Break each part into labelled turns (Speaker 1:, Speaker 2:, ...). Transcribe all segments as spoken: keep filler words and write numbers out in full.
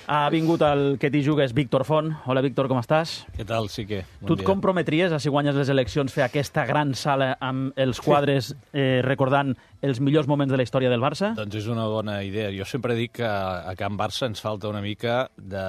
Speaker 1: Ha vingut el que t'hi jugues Víctor Font. Hola, Víctor, com estàs?
Speaker 2: Què tal, Sique? Bon
Speaker 1: tu et
Speaker 2: dia.
Speaker 1: comprometries a, si guanyes les eleccions, fer aquesta gran sala amb els quadres eh, recordant els millors moments de la història del Barça?
Speaker 2: Doncs és una bona idea. Jo sempre dic que a Can Barça ens falta una mica de,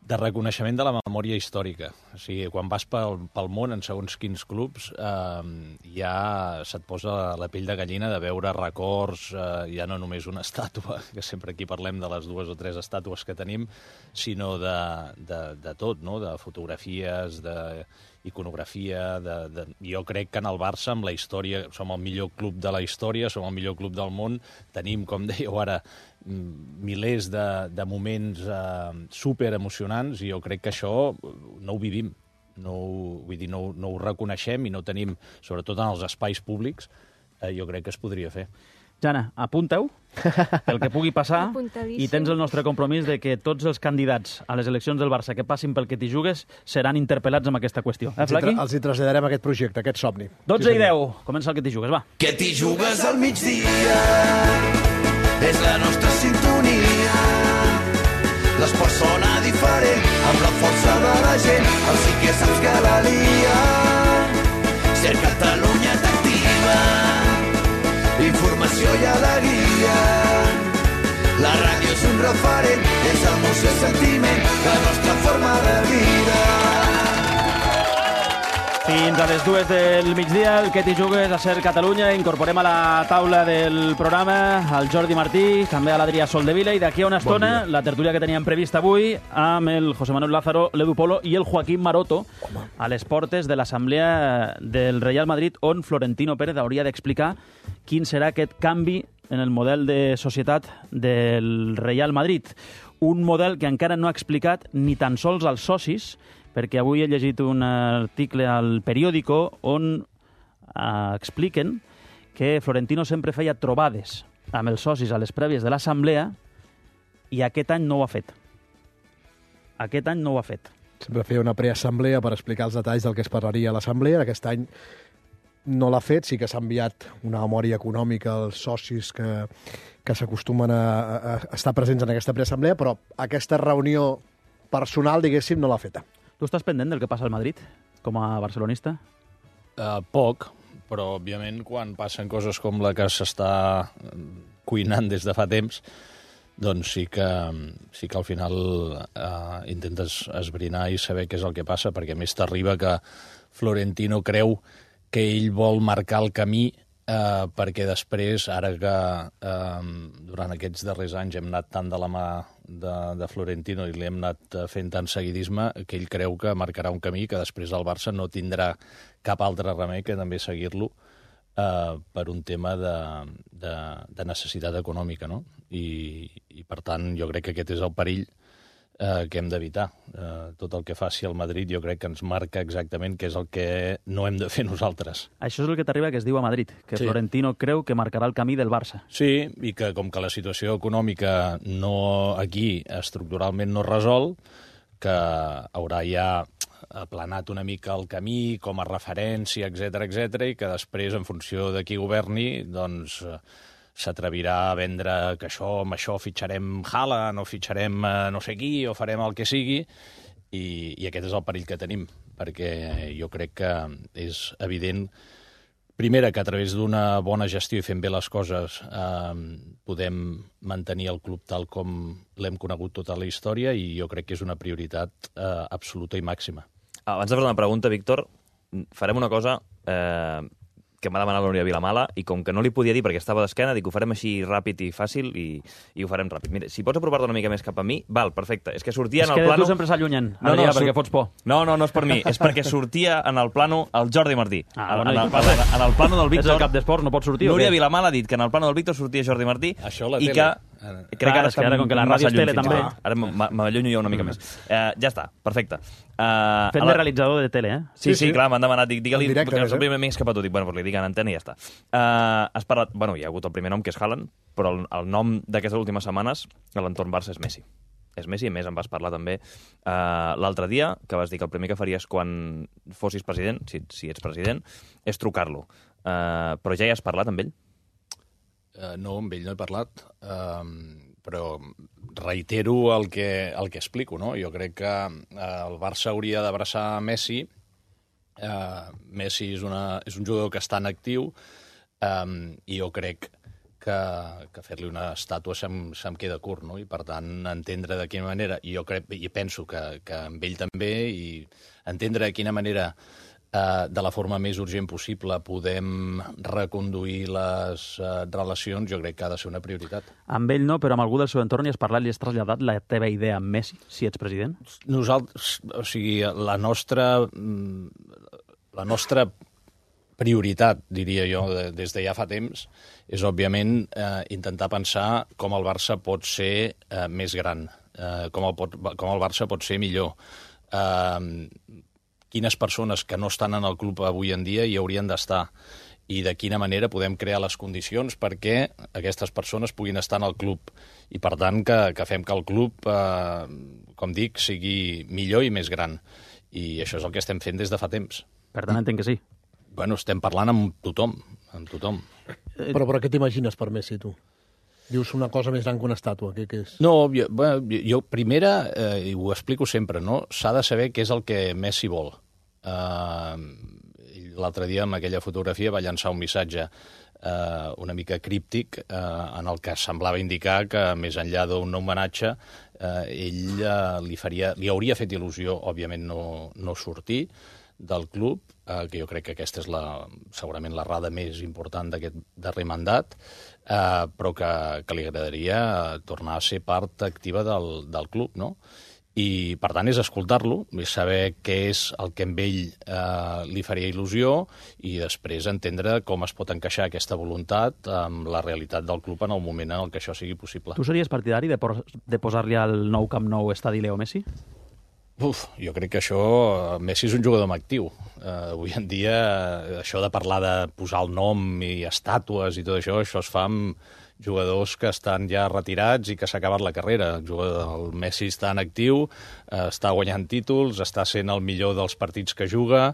Speaker 2: de reconeixement de la memòria històrica. O sigui, quan vas pel, pel món, en segons quins clubs, eh, ja se't posa la pell de gallina de veure records, eh, ja no només una estàtua, que sempre aquí parlem de les dues o tres estàtues que tenim, sinó de, de, de tot, no? De fotografies, de iconografia, de, de... jo crec que en el Barça, amb la història, som el millor club de la història, som el millor club del món, tenim, com dèieu ara, milers de, de moments eh, superemocionants, i jo crec que això no ho vivim, no ho, vull dir, no, no ho reconeixem i no tenim, sobretot en els espais públics, eh, jo crec que es podria fer.
Speaker 1: Jana, apunta-ho pel que pugui passar i tens el nostre compromís de que tots els candidats a les eleccions del Barça que passin pel que t'hi jugues seran interpel·lats amb aquesta qüestió. Eh, Flaqui?
Speaker 3: Els hi traslladarem aquest projecte, aquest somni.
Speaker 1: dotze i deu. Comença el que t'hi jugues, va.
Speaker 4: Que t'hi jugues al migdia és la nostra sintonia. L'esport sona diferent amb la força de la gent. El sí que saps que la lia. Ser Catalunya t'activa. Informació i alegria. La ràdio és un referent, és emoció i sentiment, la nostra forma de vida.
Speaker 1: Fins a les dues del migdia, el que t'hi jugues a Ser Catalunya. Incorporem a la taula del programa el Jordi Martí, també a l'Adrià Soldevila, i d'aquí a una estona bon la tertúlia que teníem prevista avui amb el José Manuel Lázaro, l'Edu Polo i el Joaquín Maroto Home. a les portes de l'assemblea del Real Madrid, on Florentino Pérez hauria d'explicar quin serà aquest canvi en el model de societat del Real Madrid. Un model que encara no ha explicat ni tan sols als socis, perquè avui he llegit un article al periòdico on eh, expliquen que Florentino sempre feia trobades amb els socis a les prèvies de l'assemblea i aquest any no ho ha fet. Aquest any no ho ha fet.
Speaker 3: Sempre feia una preassemblea per explicar els detalls del que es parlaria a l'assemblea. Aquest any no l'ha fet, sí que s'ha enviat una memòria econòmica als socis que, que s'acostumen a, a estar presents en aquesta preassemblea, però aquesta reunió personal, diguéssim, no l'ha feta.
Speaker 1: Tu estàs pendent del que passa al Madrid, com a barcelonista?
Speaker 2: Uh, poc, però, òbviament, quan passen coses com la que s'està cuinant des de fa temps, doncs sí que, sí que al final uh, intentes esbrinar i saber què és el que passa, perquè a més t'arriba que Florentino creu que ell vol marcar el camí eh, perquè després, ara que eh, durant aquests darrers anys hem anat tant de la mà de, de Florentino i li hem anat fent tant seguidisme, que ell creu que marcarà un camí que després el Barça no tindrà cap altre remei que també seguir-lo eh, per un tema de, de, de necessitat econòmica, no? I, i per tant jo crec que aquest és el perill eh, que hem d'evitar. Eh, tot el que faci el Madrid jo crec que ens marca exactament què és el que no hem de fer nosaltres.
Speaker 1: Això és el que t'arriba que es diu a Madrid, que
Speaker 2: Sí.
Speaker 1: Florentino creu que marcarà el camí del Barça.
Speaker 2: Sí, i que com que la situació econòmica no aquí estructuralment no es resol, que haurà ja aplanat una mica el camí com a referència, etcètera, etcètera, i que després, en funció de qui governi, doncs eh, s'atrevirà a vendre que això, amb això fitxarem Haaland o fitxarem eh, no sé qui o farem el que sigui, i, i aquest és el perill que tenim, perquè jo crec que és evident, primera, que a través d'una bona gestió i fent bé les coses eh, podem mantenir el club tal com l'hem conegut tota la història, i jo crec que és una prioritat eh, absoluta i màxima.
Speaker 5: Abans de fer una pregunta, Víctor, farem una cosa eh, que m'ha demanat la Núria Vilamala, i com que no li podia dir perquè estava d'esquena, dic que ho farem així ràpid i fàcil, i, i ho farem ràpid. Mira, si pots apropar-te una mica més cap a mi, val, perfecte. És que sortia
Speaker 1: És
Speaker 5: en el
Speaker 1: que
Speaker 5: plano...
Speaker 1: tu sempre s'allunyen,
Speaker 5: No, no,
Speaker 1: Adrià,
Speaker 5: surt-
Speaker 1: perquè fots por.
Speaker 5: No, no, no és per mi, és perquè sortia en el plano el Jordi Martí.
Speaker 1: Ah,
Speaker 5: en,
Speaker 1: bueno,
Speaker 5: en,
Speaker 1: i
Speaker 5: el,
Speaker 1: què passa?
Speaker 5: en el plano del
Speaker 1: És
Speaker 5: Víctor...
Speaker 1: el cap d'esports, no pot sortir o
Speaker 5: Núria
Speaker 1: què?
Speaker 5: Vilamala ha dit que en el plano del Víctor sortia Jordi Martí,
Speaker 2: Això a la
Speaker 5: i
Speaker 2: tele.
Speaker 5: que...
Speaker 2: Ara.
Speaker 5: Crec que
Speaker 1: Clar,
Speaker 5: ara
Speaker 1: és que ara, com que la ràdio és tele, també.
Speaker 5: Ara m- m'allunyo jo una mica més. Eh, ja està, perfecte. Uh,
Speaker 1: Fent de realitzador de tele, eh?
Speaker 5: Sí, sí,
Speaker 3: Sí, sí.
Speaker 5: clar, m'han demanat, dic, digue-li,
Speaker 3: En directe,
Speaker 5: perquè
Speaker 3: a més,
Speaker 5: el primer m'he escapat, dic, bueno, doncs li dic en antena i ja està. Uh, has parlat, bueno, hi ha hagut el primer nom, que és Haaland, però el, el nom d'aquestes últimes setmanes a l'entorn Barça és Messi. És Messi, a més em vas parlar també uh, l'altre dia, que vas dir que el primer que faries quan fossis president, si, si ets president, és trucar-lo. Uh, però ja hi has parlat amb ell?
Speaker 2: Uh, no, amb ell no he parlat, uh, però reitero el que, el que explico, no? Jo crec que eh, el Barça hauria d'abraçar Messi. Eh, Messi és, una, és un jugador que està en actiu eh, i jo crec que, que fer-li una estàtua se'm, se'm queda curt, no? I per tant entendre de quina manera, i jo crec, i penso que, que amb ell també, i entendre de quina manera eh, de la forma més urgent possible podem reconduir les eh, relacions, jo crec que ha de ser una prioritat.
Speaker 1: Amb ell no, però amb algú del seu entorn hi has parlat, li has traslladat la teva idea amb Messi, si ets president?
Speaker 2: Nosaltres, o sigui, la nostra, la nostra prioritat, diria jo, de, des de ja fa temps, és, òbviament, eh, intentar pensar com el Barça pot ser eh, més gran, eh, com, el pot, com el Barça pot ser millor. Eh, quines persones que no estan en el club avui en dia hi haurien d'estar i de quina manera podem crear les condicions perquè aquestes persones puguin estar en el club i, per tant, que, que fem que el club, eh, com dic, sigui millor i més gran. I això és el que estem fent des de fa temps.
Speaker 1: Per tant, entenc que sí.
Speaker 2: Bueno, estem parlant amb tothom, amb tothom.
Speaker 3: Però, però què t'imagines per Messi, tu? Dius una cosa més gran que una estàtua, què, què és?
Speaker 2: No, jo, bueno, jo primera, eh, i ho explico sempre, no? S'ha de saber què és el que Messi vol. Uh, L'altre dia, amb aquella fotografia, va llançar un missatge uh, una mica críptic uh, en el que semblava indicar que, més enllà d'un homenatge, uh, ell uh, li, faria, li hauria fet il·lusió, òbviament, no, no sortir del club, eh, que jo crec que aquesta és la, segurament l'errada més important d'aquest darrer mandat, eh, però que, que li agradaria tornar a ser part activa del, del club, no? I, per tant, és escoltar-lo, és saber què és el que amb ell eh, li faria il·lusió i després entendre com es pot encaixar aquesta voluntat amb la realitat del club en el moment en el que això sigui possible.
Speaker 1: Tu series partidari de, por de posar-li al nou Camp Nou estadi Leo Messi?
Speaker 2: Uf, jo crec que això... Messi és un jugador amb actiu. Uh, avui en dia, això de parlar de posar el nom i estàtues i tot això, això es fa amb jugadors que estan ja retirats i que s'ha acabat la carrera. El, jugador, el Messi està en actiu, uh, està guanyant títols, està sent el millor dels partits que juga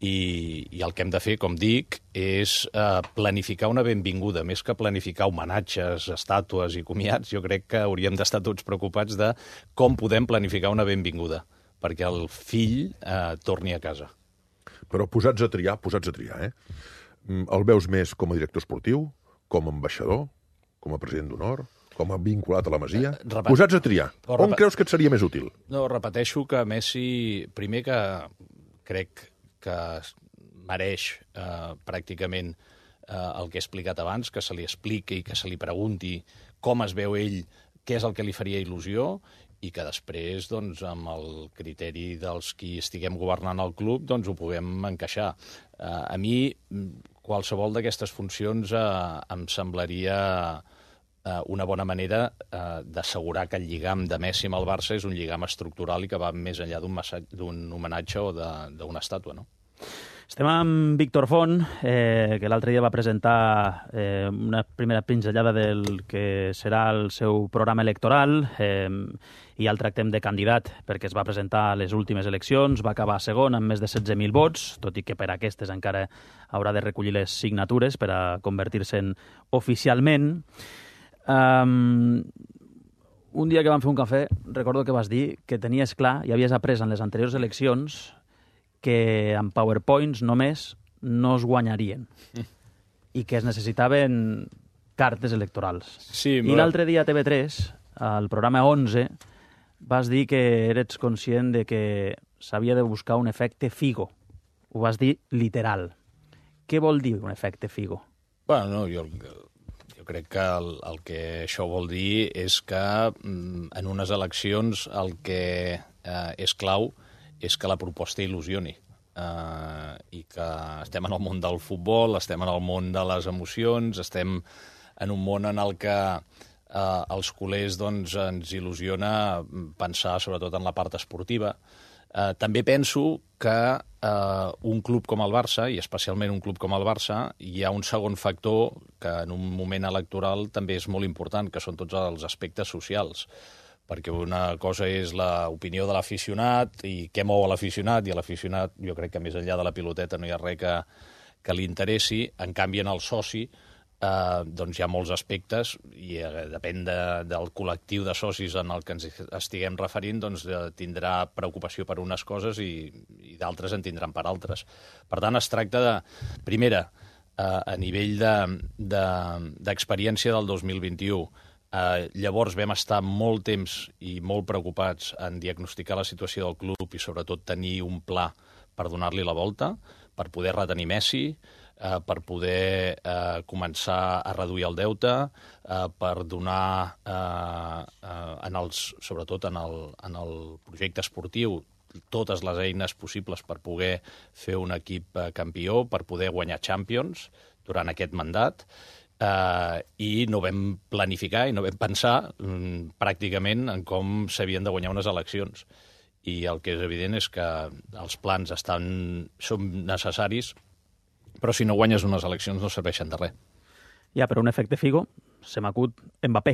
Speaker 2: i, i el que hem de fer, com dic, és uh, planificar una benvinguda. Més que planificar homenatges, estàtues i comiats, jo crec que hauríem d'estar tots preocupats de com podem planificar una benvinguda perquè el fill eh, torni a casa.
Speaker 6: Però posats a triar, posats a triar, eh? El veus més com a director esportiu, com a ambaixador, com a president d'honor, com a vinculat a la Masia? Eh, repet... Posats a triar. On repet... creus que et seria més útil?
Speaker 2: No, repeteixo que Messi, primer que crec que mereix eh, pràcticament eh, el que he explicat abans, que se li expliqui i que se li pregunti com es veu ell, què és el que li faria il·lusió, i que després, doncs, amb el criteri dels qui estiguem governant el club, doncs ho puguem encaixar. Eh, a mi, qualsevol d'aquestes funcions eh, em semblaria eh, una bona manera eh, d'assegurar que el lligam de Messi amb el Barça és un lligam estructural i que va més enllà d'un homenatge o d'una estàtua, no?
Speaker 1: Estem amb Víctor Font, eh, que l'altre dia va presentar eh, una primera pinzellada del que serà el seu programa electoral, eh, i ja el tractem de candidat perquè es va presentar a les últimes eleccions, va acabar segon amb més de setze mil vots, tot i que per aquestes encara haurà de recollir les signatures per a convertir-se'n oficialment. Um, un dia que vam fer un cafè, recordo que vas dir que tenies clar, i havies après en les anteriors eleccions, que amb PowerPoints només no es guanyarien i que es necessitaven cartes electorals.
Speaker 2: Sí,
Speaker 1: I l'altre dia a T V tres, al programa onze, vas dir que eres conscient de que s'havia de buscar un efecte Figo. Ho vas dir literal. Què vol dir un efecte Figo?
Speaker 2: Bueno, no, jo, jo crec que el, el que això vol dir és que en unes eleccions el que eh, és clau és que la proposta il·lusioni eh, i que estem en el món del futbol, estem en el món de les emocions, estem en un món en el que eh, els culers doncs, ens il·lusiona pensar sobretot en la part esportiva. Eh, també penso que eh, un club com el Barça, i especialment un club com el Barça, hi ha un segon factor que en un moment electoral també és molt important, que són tots els aspectes socials. Perquè una cosa és l'opinió de l'aficionat i què mou a l'aficionat, i a l'aficionat jo crec que més enllà de la piloteta no hi ha res que, que li interessi. En canvi, en el soci eh, doncs hi ha molts aspectes i eh, depèn de, del col·lectiu de socis en el que ens estiguem referint, doncs eh, tindrà preocupació per unes coses i, i d'altres en tindran per altres. Per tant, es tracta de, primera, eh, a nivell d'experiència de, de, del dos mil vint-i-u, eh, llavors vam estar molt temps i molt preocupats en diagnosticar la situació del club i sobretot tenir un pla per donar-li la volta, per poder retenir Messi, eh, per poder eh, començar a reduir el deute, eh, per donar, eh, eh, en els, sobretot en el, en el projecte esportiu, totes les eines possibles per poder fer un equip eh, campió, per poder guanyar Champions durant aquest mandat, eh, i no vam planificar i no vam pensar mm, pràcticament en com s'havien de guanyar unes eleccions. I el que és evident és que els plans estan, són necessaris, però si no guanyes unes eleccions no serveixen de res.
Speaker 1: Ja, però un efecte Figo, se m'acut Mbappé.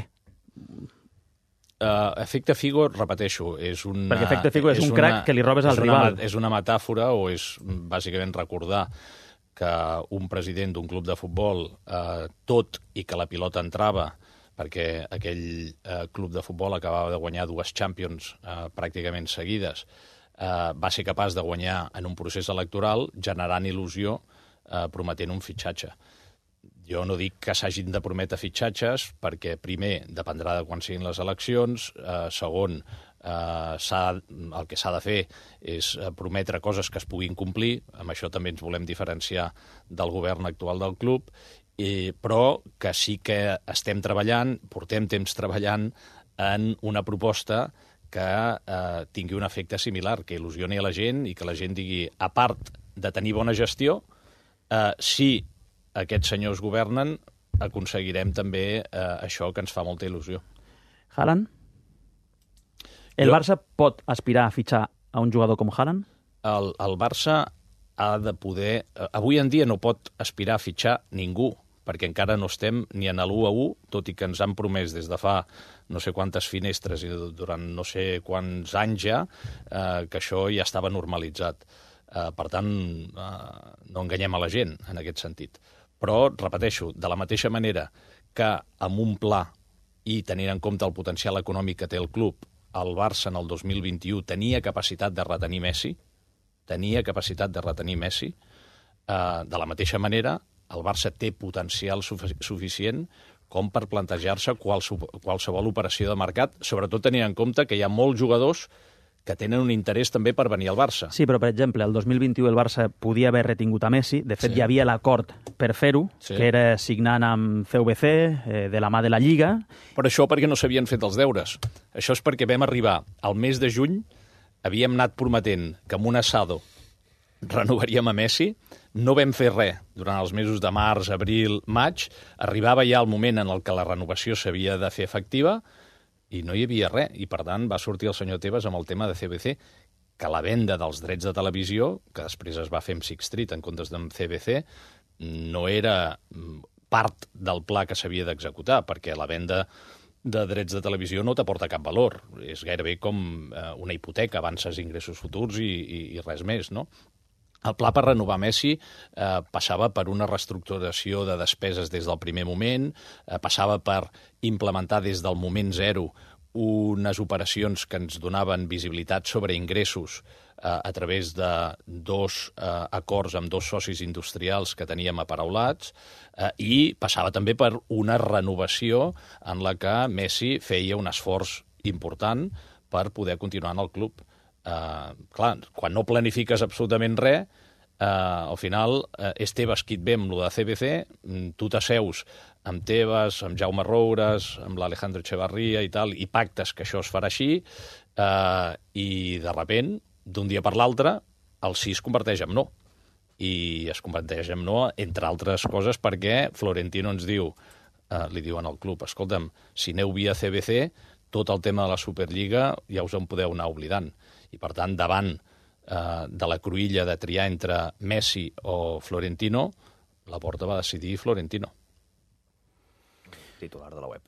Speaker 2: Uh, efecte Figo, repeteixo, és una...
Speaker 1: Perquè efecte Figo és, és un
Speaker 2: una,
Speaker 1: crac que li robes al rival.
Speaker 2: Una, és una metàfora o és bàsicament recordar que un president d'un club de futbol, uh, tot i que la pilota entrava, perquè aquell eh, club de futbol acabava de guanyar dues Champions eh, pràcticament seguides, eh, va ser capaç de guanyar en un procés electoral generant il·lusió eh, prometent un fitxatge. Jo no dic que s'hagin de prometre fitxatges perquè, primer, dependrà de quan siguin les eleccions, eh, segon, eh, el que s'ha de fer és prometre coses que es puguin complir, amb això també ens volem diferenciar del govern actual del club, I, però que sí que estem treballant, portem temps treballant en una proposta que eh, tingui un efecte similar, que il·lusioni a la gent i que la gent digui, a part de tenir bona gestió, eh, si aquests senyors governen, aconseguirem també eh, això que ens fa molta il·lusió.
Speaker 1: Haaland? El
Speaker 2: jo...
Speaker 1: Barça pot aspirar a fitxar a un jugador com Haaland?
Speaker 2: El, el Barça ha de poder... Avui en dia no pot aspirar a fitxar ningú, perquè encara no estem ni en l'u a u, tot i que ens han promès des de fa no sé quantes finestres i durant no sé quants anys ja, eh, que això ja estava normalitzat. Eh, per tant, eh, no enganyem a la gent en aquest sentit. Però, repeteixo, de la mateixa manera que amb un pla i tenint en compte el potencial econòmic que té el club, el Barça en el dos mil vint-i-u tenia capacitat de retenir Messi, tenia capacitat de retenir Messi, eh, de la mateixa manera el Barça té potencial suficient com per plantejar-se qualsevol operació de mercat, sobretot tenint en compte que hi ha molts jugadors que tenen un interès també per venir al Barça.
Speaker 1: Sí, però, per exemple, el dos mil vint-i-u el Barça podia haver retingut a Messi. De fet, sí. Hi havia l'acord per fer-ho, sí. que era signant amb C V C, eh, de la mà de la Lliga.
Speaker 2: Però això perquè no s'havien fet els deures. Això és perquè vam arribar al mes de juny, havíem anat prometent que amb un assado renovaríem a Messi, no vam fer res durant els mesos de març, abril, maig, arribava ja el moment en el que la renovació s'havia de fer efectiva i no hi havia res, i per tant va sortir el senyor Tebas amb el tema de C V C, que la venda dels drets de televisió, que després es va fer amb Sixth Street en comptes d'amb C V C, no era part del pla que s'havia d'executar, perquè la venda de drets de televisió no t'aporta cap valor. És gairebé com eh, una hipoteca, avances ingressos futurs i, i, i res més, no? El pla per renovar Messi eh, passava per una reestructuració de despeses des del primer moment, eh, passava per implementar des del moment zero unes operacions que ens donaven visibilitat sobre ingressos eh, a través de dos eh, acords amb dos socis industrials que teníem aparaulats eh, i passava també per una renovació en la que Messi feia un esforç important per poder continuar en el club. Uh, clar, quan no planifiques absolutament res, uh, al final uh, és Tebas qui et ve amb lo de C V C, tu t'asseus amb Tebas, amb Jaume Roures, amb l'Alejandro Echevarría i tal, i pactes que això es farà així, uh, i de repent, d'un dia per l'altre, el sí es converteix en no. I es converteix en no, entre altres coses, perquè Florentino ens diu, uh, li diuen al club, escolta'm, si aneu via C V C, tot el tema de la Superliga ja us en podeu anar oblidant. I, per tant, davant eh, de la cruïlla de triar entre Messi o Florentino, la Porta va decidir Florentino.
Speaker 5: Titular de la web.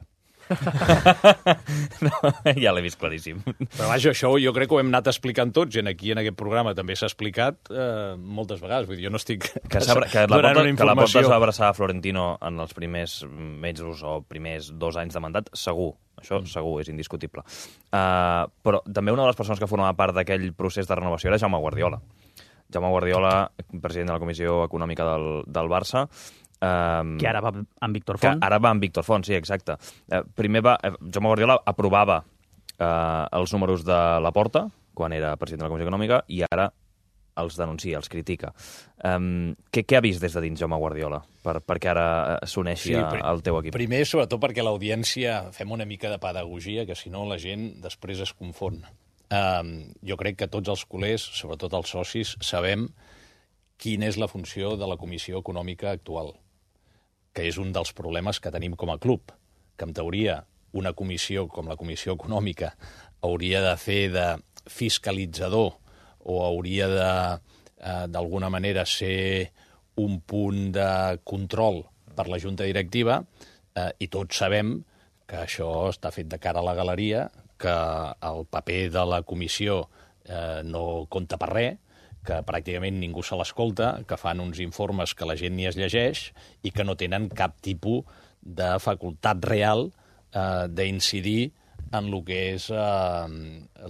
Speaker 5: No, ja l'he vist claríssim.
Speaker 2: Però vaja, això jo crec que ho hem anat explicant tots, i aquí en aquest programa també s'ha explicat eh, moltes vegades. Vull dir, jo no estic
Speaker 5: que, que la porta, que la porta es va abraçar a Florentino en els primers mesos o primers dos anys de mandat, segur. Això mm. segur, és indiscutible. Uh, però també una de les persones que formava part d'aquell procés de renovació era Jaume Guardiola. Jaume Guardiola, president de la Comissió Econòmica del, del Barça, Um,
Speaker 1: que ara va amb Víctor Font.
Speaker 5: Que ara va amb Víctor Font, sí, exacte. Uh, primer va... Uh, Jaume Guardiola aprovava uh, els números de Laporta, quan era president de la Comissió Econòmica, i ara els denuncia, els critica. Um, què, què ha vist des de dins Jaume Guardiola per, perquè ara s'uneixi sí, al teu equip?
Speaker 2: Primer, sobretot, perquè l'audiència fem una mica de pedagogia, que si no la gent després es confon. Um, jo crec que tots els culers, sobretot els socis, sabem quina és la funció de la Comissió Econòmica actual, que és un dels problemes que tenim com a club, que en teoria una comissió com la Comissió Econòmica hauria de fer de fiscalitzador o hauria de, eh, d'alguna manera, ser un punt de control per la Junta Directiva, eh, i tots sabem que això està fet de cara a la galeria, que el paper de la comissió eh, no compta per res, que pràcticament ningú se l'escolta, que fan uns informes que la gent ni es llegeix i que no tenen cap tipus de facultat real eh, d'incidir en el que és eh,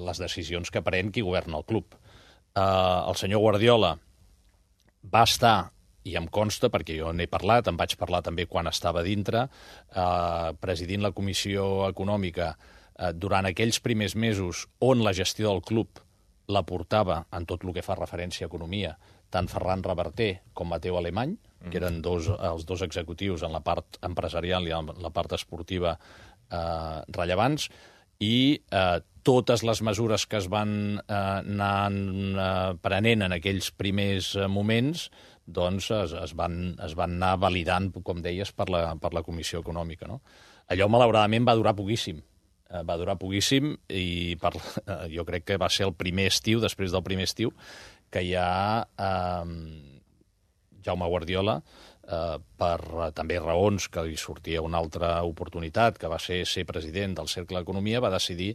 Speaker 2: les decisions que pren qui governa el club. Eh, el senyor Guardiola va estar, i em consta, perquè jo n'he parlat, en vaig parlar també quan estava dintre, eh, presidint la Comissió Econòmica eh, durant aquells primers mesos on la gestió del club la portava en tot el que fa referència a economia, tant Ferran Reverter com Mateu Alemany, que eren dos, els dos executius en la part empresarial i en la part esportiva eh, rellevants, i eh, totes les mesures que es van eh, anar eh, prenent en aquells primers eh, moments doncs es, es, van, es van anar validant, com deies, per la, per la Comissió Econòmica. No? Allò, malauradament, va durar poquíssim. Va durar poquíssim i per, jo crec que va ser el primer estiu, després del primer estiu, que ja eh, Jaume Guardiola, eh, per eh, també raons que li sortia una altra oportunitat, que va ser ser president del Cercle d'Economia, va decidir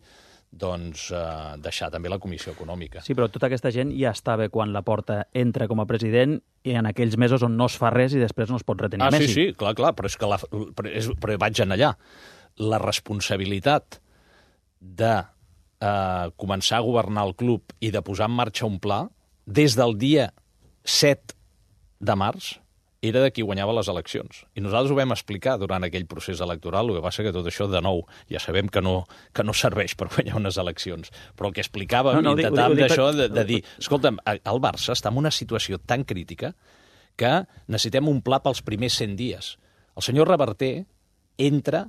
Speaker 2: doncs, eh, deixar també la Comissió Econòmica.
Speaker 1: Sí, però tota aquesta gent ja estava quan Laporta entra com a president i en aquells mesos on no es fa res i després no es pot retenir
Speaker 2: ah,
Speaker 1: Messi.
Speaker 2: Ah, sí, sí, clar, clar, però és que la, però, és, però vaig anar allà. La responsabilitat de eh, començar a governar el club i de posar en marxa un pla, des del dia set de març, era de qui guanyava les eleccions. I nosaltres ho vam explicar durant aquell procés electoral, el que passa que tot això, de nou, ja sabem que no, que no serveix per guanyar unes eleccions. Però el que explicàvem, no, no, intentàvem d'això, de, de dir, escolta'm, el Barça està en una situació tan crítica que necessitem un pla pels primers cent dies. El senyor Reverter entra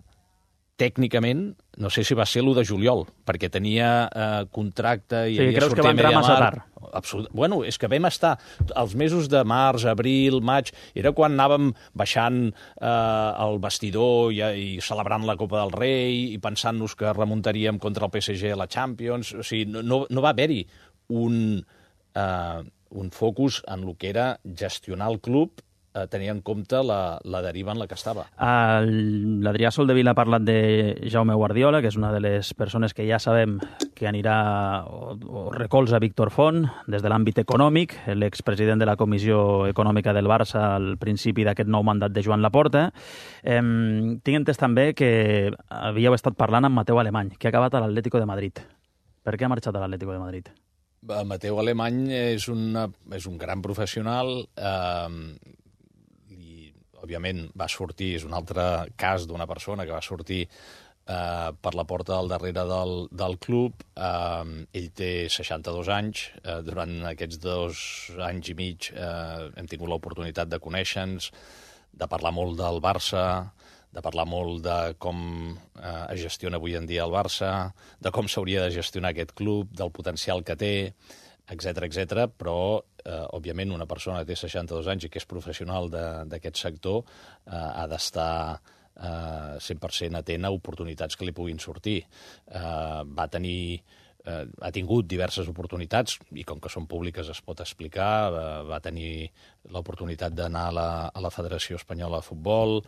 Speaker 2: tècnicament, no sé si va ser l'u de juliol, perquè tenia eh, contracte i
Speaker 1: sí,
Speaker 2: havia
Speaker 1: creus que va entrar massa tard?
Speaker 2: Absolut... Bueno, és que vam estar els mesos de març, abril, maig, era quan anàvem baixant eh, el vestidor i, i celebrant la Copa del Rei i pensant-nos que remuntaríem contra el P S G a la Champions. O sigui, no, no va haver-hi un, eh, un focus en el que era gestionar el club eh, tenir en compte la, la deriva en la que estava.
Speaker 1: L'Adrià Soldevila ha parlat de Jaume Guardiola, que és una de les persones que ja sabem que anirà o, o recolza Víctor Font des de l'àmbit econòmic, l'expresident de la Comissió Econòmica del Barça al principi d'aquest nou mandat de Joan Laporta. Eh, tinc entès també que havíeu estat parlant amb Mateu Alemany, que ha acabat a l'Atlético de Madrid. Per què ha marxat a l'Atlético de Madrid?
Speaker 2: Mateu Alemany és, una, és un gran professional eh, i, òbviament, va sortir, és un altre cas d'una persona que va sortir eh, per la porta del darrere del, del club. Eh, ell té seixanta-dos anys. Eh, durant aquests dos anys i mig eh, hem tingut l'oportunitat de conèixer-nos, de parlar molt del Barça, de parlar molt de com eh, es gestiona avui en dia el Barça, de com s'hauria de gestionar aquest club, del potencial que té, etcètera, etcètera. Però, eh, òbviament, una persona que té seixanta-dos anys i que és professional d'aquest sector eh, ha d'estar eh, cent per cent atent a oportunitats que li puguin sortir. Eh, va tenir eh, ha tingut diverses oportunitats, i com que són públiques es pot explicar, va, va tenir l'oportunitat d'anar a, la, a la Federació Espanyola de Futbol,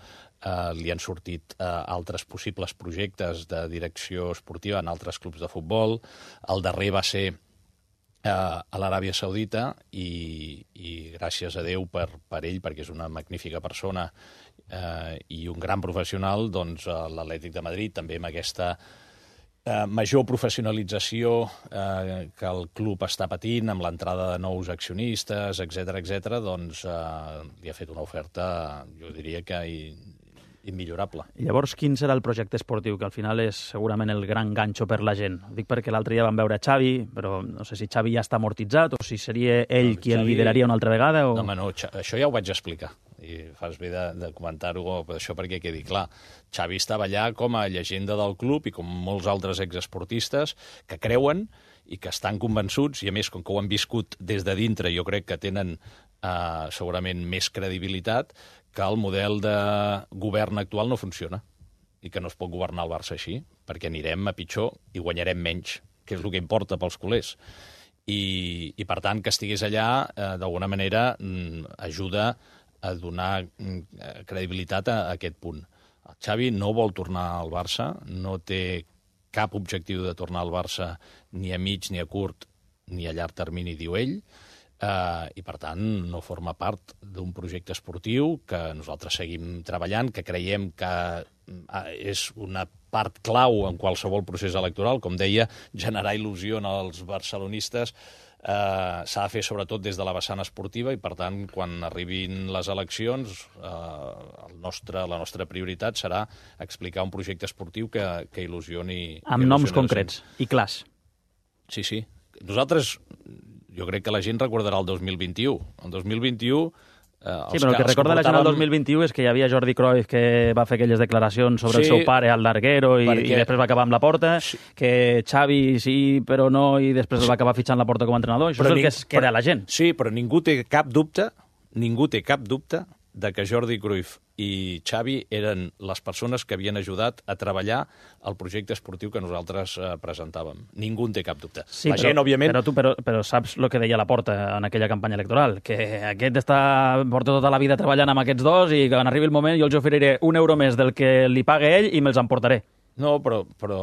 Speaker 2: eh, li han sortit eh, altres possibles projectes de direcció esportiva en altres clubs de futbol. El darrer va ser eh, a l'Aràbia Saudita, i, i gràcies a Déu per, per ell, perquè és una magnífica persona eh, i un gran professional, doncs l'Atlètic de Madrid també amb aquesta eh, major professionalització eh, que el club està patint, amb l'entrada de nous accionistes, etcètera, etcètera, doncs eh, li ha fet una oferta, jo diria que immillorable.
Speaker 1: I llavors, quin serà el projecte esportiu, que al final és segurament el gran ganxo per la gent? Ho dic perquè l'altre dia vam veure Xavi, però no sé si Xavi ja està amortitzat o si seria ell no, qui Xavi... el lideraria una altra vegada. O...
Speaker 2: No, home, no, això ja ho vaig explicar. I fas bé de, de comentar-ho, això perquè quedi clar. Xavi estava allà com a llegenda del club i com molts altres exesportistes que creuen i que estan convençuts, i a més, com que ho han viscut des de dintre, jo crec que tenen eh, segurament més credibilitat, que el model de govern actual no funciona i que no es pot governar el Barça així, perquè anirem a pitjor i guanyarem menys, que és el que importa pels culers. I, i per tant, que estigués allà, eh, d'alguna manera, ajuda a donar credibilitat a, a aquest punt. El Xavi no vol tornar al Barça, no té cap objectiu de tornar al Barça ni a mig, ni a curt, ni a llarg termini, diu ell, Uh, i per tant no forma part d'un projecte esportiu que nosaltres seguim treballant, que creiem que uh, és una part clau en qualsevol procés electoral. Com deia, generar il·lusió als barcelonistes uh, s'ha de fer sobretot des de la vessant esportiva, i per tant quan arribin les eleccions uh, el nostre, la nostra prioritat serà explicar un projecte esportiu que, que il·lusioni...
Speaker 1: Amb
Speaker 2: que
Speaker 1: noms concrets i clars.
Speaker 2: Sí, sí. Nosaltres... Jo crec que la gent recordarà el dos mil vint-i-u. El dos mil vint-i-u... Eh,
Speaker 1: sí, però el que recorda la gent el dos mil vint-i-u és que hi havia Jordi Cruyff que va fer aquelles declaracions sobre sí, el seu pare al larguero i, perquè... i després va acabar amb la Porta, sí. que Xavi sí, però no, i després sí. va acabar fitxant la Porta com a entrenador. Això però és el ning... que es queda a la gent.
Speaker 2: Sí, però ningú té cap dubte, ningú té cap dubte de que Jordi Cruyff i Xavi eren les persones que havien ajudat a treballar el projecte esportiu que nosaltres eh, presentàvem. Ningú en té cap dubte.
Speaker 1: Sí,
Speaker 2: la
Speaker 1: però,
Speaker 2: gent, òbviament...
Speaker 1: Però tu però, però saps el que deia Laporta en aquella campanya electoral, que aquest està, porta tota la vida treballant amb aquests dos i quan arribi el moment jo els oferiré un euro més del que li pague ell i me'ls emportaré.
Speaker 2: No, però, però...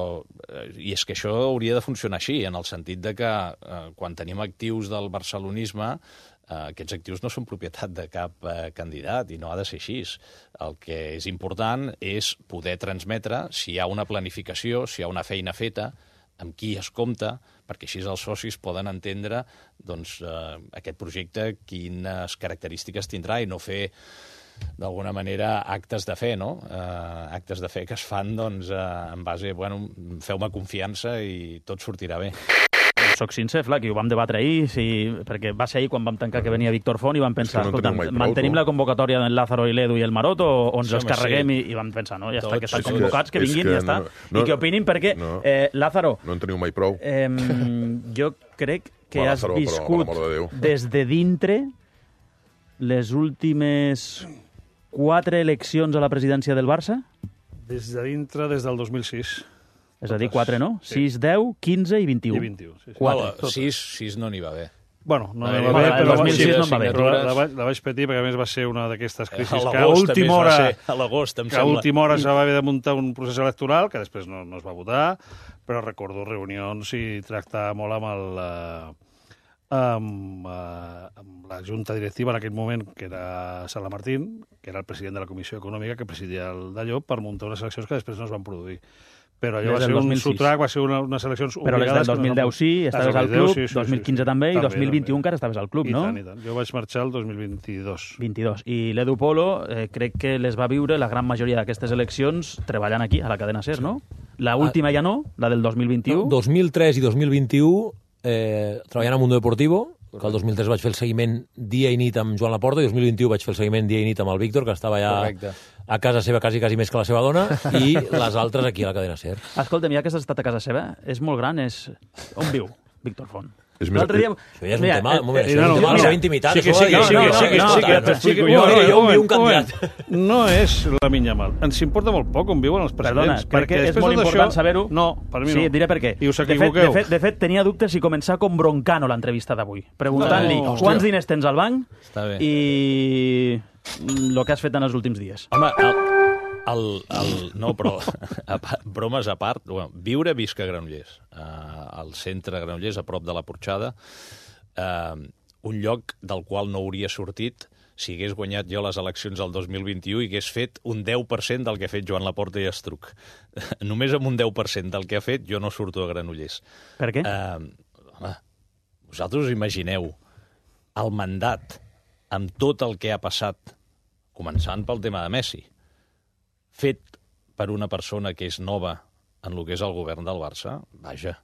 Speaker 2: I és que això hauria de funcionar així, en el sentit de que eh, quan tenim actius del barcelonisme, Uh, aquests actius no són propietat de cap uh, candidat i no ha de ser així. El que és important és poder transmetre si hi ha una planificació, si hi ha una feina feta, amb qui es compta, perquè així els socis poden entendre doncs, uh, aquest projecte quines característiques tindrà i no fer d'alguna manera actes de fe, no? Uh, actes de fe que es fan doncs, uh, en base, bueno, feu-me confiança i tot sortirà bé.
Speaker 1: Soc sincer, Flac, i ho vam debatre ahir, si, perquè va ser ahir quan vam tancar que venia Víctor Font i vam pensar, no escolta, mantenim la convocatòria d'en Lázaro i l'Edu i el Maroto o, o ens sí, els carreguem sí. i, i vam pensar, no, ja Tots, està, que estan sí, convocats, que vinguin i ja està. No, no, I que opinin perquè, no, eh, Lázaro...
Speaker 6: No en teniu mai prou.
Speaker 1: Eh, jo crec que
Speaker 6: Va,
Speaker 1: has
Speaker 6: Lázaro,
Speaker 1: viscut
Speaker 6: però, de
Speaker 1: des de dintre les últimes quatre eleccions a la presidència del Barça?
Speaker 7: Des de dintre, des del dos mil sis.
Speaker 1: És a dir, quatre, no? Sí. sis, deu, quinze i vint-i-u.
Speaker 7: I vint-i-u, sí. sí.
Speaker 2: quatre. sis, sis no n'hi va bé.
Speaker 7: Bueno, no n'hi
Speaker 2: va
Speaker 7: va bé,
Speaker 1: però el dos mil sis no em va bé.
Speaker 7: Però la, la, la vaig patir perquè a més va ser una d'aquestes crisis que a
Speaker 2: última
Speaker 7: hora,
Speaker 2: a l'agost, em
Speaker 7: que a última hora se va haver de muntar un procés electoral que després no, no es va votar, però recordo reunions i tractar molt amb el... Uh, amb, uh, amb la junta directiva en aquell moment, que era Sala Martín, que era el president de la Comissió Econòmica, que presidia el d'allò, per muntar unes eleccions que després no es van produir. Però allò va ser un sotrac, va ser una, unes eleccions
Speaker 1: però
Speaker 7: obligades.
Speaker 1: Però des del dos mil deu sí, estaves al club, sí, sí, dos mil quinze sí, sí. també, i dos mil vint-i-u encara estaves al club,
Speaker 7: I
Speaker 1: no?
Speaker 7: Tant, i tant. Jo vaig marxar el dos mil vint-i-dos.
Speaker 1: vint-i-dos. I l'Edu Polo eh, crec que les va viure la gran majoria d'aquestes eleccions treballant aquí, a la cadena SER, no? La última ja no, la del dos mil vint-i-u.
Speaker 8: No, dos mil tres i dos mil vint-i-u eh, treballant a Mundo Deportivo, que el dos mil tres vaig fer el seguiment dia i nit amb Joan Laporta, i el dos mil vint-i-u vaig fer el seguiment dia i nit amb el Víctor, que estava ja Correcte. a casa seva quasi, quasi més que la seva dona, i les altres aquí a la cadena SER.
Speaker 1: Escolta'm, ja que has estat a casa seva, és molt gran, és... On viu Víctor Font?
Speaker 6: És més...
Speaker 1: L'altre dia...
Speaker 8: Això ja és un
Speaker 1: Mira,
Speaker 8: tema,
Speaker 1: eh,
Speaker 8: un moment,
Speaker 1: eh,
Speaker 8: això és un
Speaker 1: no,
Speaker 8: tema de la
Speaker 1: mira,
Speaker 8: seva intimitat.
Speaker 7: sí que
Speaker 8: això
Speaker 7: sí,
Speaker 8: ho
Speaker 7: que
Speaker 8: ha
Speaker 7: sí,
Speaker 8: de dir.
Speaker 7: que sí, que
Speaker 8: No,
Speaker 7: sí,
Speaker 8: no,
Speaker 7: que
Speaker 8: no,
Speaker 7: t'explico
Speaker 8: no,
Speaker 7: jo.
Speaker 8: no,
Speaker 7: Mira,
Speaker 8: jo
Speaker 7: un
Speaker 8: envio un
Speaker 7: moment,
Speaker 8: candidat.
Speaker 7: un moment. No és la Minyamal. Ens importa molt poc on viuen els
Speaker 1: Perdona,
Speaker 7: presidents.
Speaker 1: crec que és
Speaker 7: després
Speaker 1: molt
Speaker 7: de tot
Speaker 1: important
Speaker 7: això-
Speaker 1: saber-ho.
Speaker 7: No, per mi no.
Speaker 1: Sí, et diré per què.
Speaker 7: I us
Speaker 1: de fet, de,
Speaker 7: equivoqueu.
Speaker 1: fet, de fet, tenia dubtes si començar com Broncano l'entrevista d'avui, preguntant-li
Speaker 7: No,
Speaker 1: quants
Speaker 6: hòstia.
Speaker 1: diners tens al banc
Speaker 2: Està bé.
Speaker 1: i el que has fet en els últims dies.
Speaker 2: Home, el, el, el, no, però a, part- bromes a part, bueno, viure visc a Granollers, uh, al centre de Granollers, a prop de la Porxada, uh, un lloc del qual no hauria sortit si hagués guanyat jo les eleccions del dos mil vint-i-u i hagués fet un deu per cent del que ha fet Joan Laporta i Estruc. Només amb un deu per cent del que ha fet jo no surto a Granollers.
Speaker 1: Per què?
Speaker 2: Uh, home, vosaltres us imagineu el mandat amb tot el que ha passat, començant pel tema de Messi, fet per una persona que és nova en el que és el govern del Barça, vaja,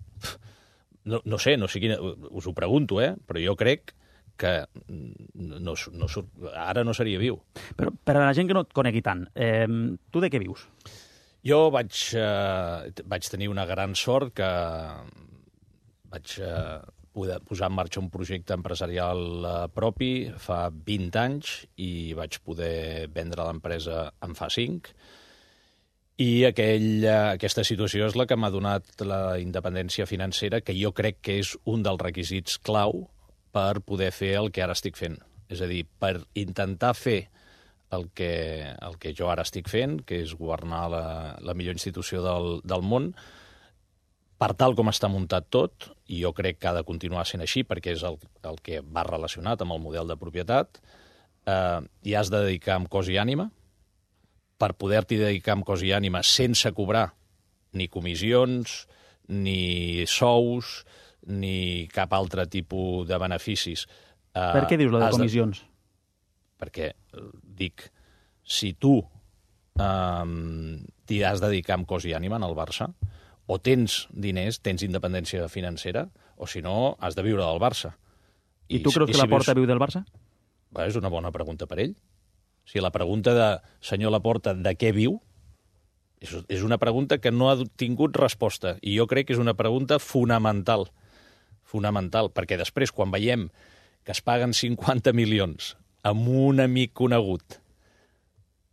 Speaker 2: no, no sé, no sé quina, us ho pregunto, eh? Però jo crec que no, no, ara no seria viu.
Speaker 1: Però per a la gent que no et conegui tant, eh, tu de què vius?
Speaker 2: Jo vaig, eh, vaig tenir una gran sort que vaig eh, poder posar en marxa un projecte empresarial eh, propi fa vint anys i vaig poder vendre l'empresa en fa cinc. I aquell, eh, aquesta situació és la que m'ha donat la independència financera, que jo crec que és un dels requisits clau per poder fer el que ara estic fent. És a dir, per intentar fer el que, el que jo ara estic fent, que és governar la, la millor institució del, del món, per tal com està muntat tot, i jo crec que ha de continuar sent així, perquè és el, el que va relacionat amb el model de propietat, eh, i has de dedicar amb cos i ànima, per poder-t'hi dedicar amb cos i ànima sense cobrar ni comissions, ni sous, ni cap altre tipus de beneficis. Uh,
Speaker 1: Per què dius la de
Speaker 2: has
Speaker 1: comissions?
Speaker 2: Perquè, eh, dic, si tu um, t'hi has de dedicar amb cos i ànima en el Barça, o tens diners, tens independència financera, o si no, has de viure del Barça.
Speaker 1: I, I tu creus que
Speaker 2: si
Speaker 1: Laporta
Speaker 2: vius...
Speaker 1: viu del Barça?
Speaker 2: Bé, és una bona pregunta per ell. O sigui, la pregunta de senyor Laporta de què viu és, és una pregunta que no ha tingut resposta, i jo crec que és una pregunta fonamental. Fonamental, perquè després, quan veiem que es paguen cinquanta milions amb un amic conegut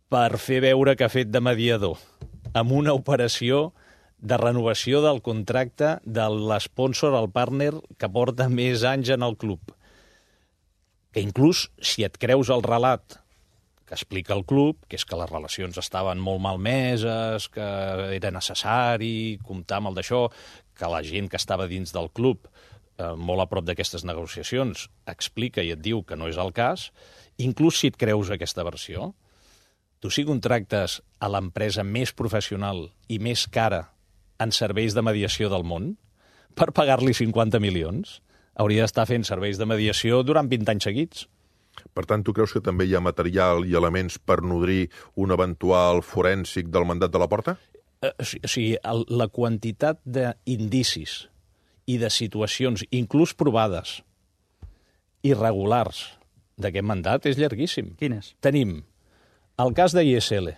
Speaker 2: per fer veure que ha fet de mediador, amb una operació de renovació del contracte de l'esponsor, el partner, que porta més anys en el club, que inclús, si et creus el relat que explica el club, que és que les relacions estaven molt malmeses, que era necessari comptar amb el d'això, que la gent que estava dins del club, eh, molt a prop d'aquestes negociacions, explica i et diu que no és el cas, inclús si et creus aquesta versió, tu si contractes a l'empresa més professional i més cara en serveis de mediació del món, per pagar-li cinquanta milions, hauria d'estar fent serveis de mediació durant vint anys seguits.
Speaker 6: Per tant, tu creus que també hi ha material i elements per nodrir un eventual forènsic del mandat de Laporta?
Speaker 2: Eh, o sigui, el, la quantitat d'indicis i de situacions, inclús provades, irregulars d'aquest mandat és llarguíssim.
Speaker 1: Quines?
Speaker 2: Tenim el cas de I S L,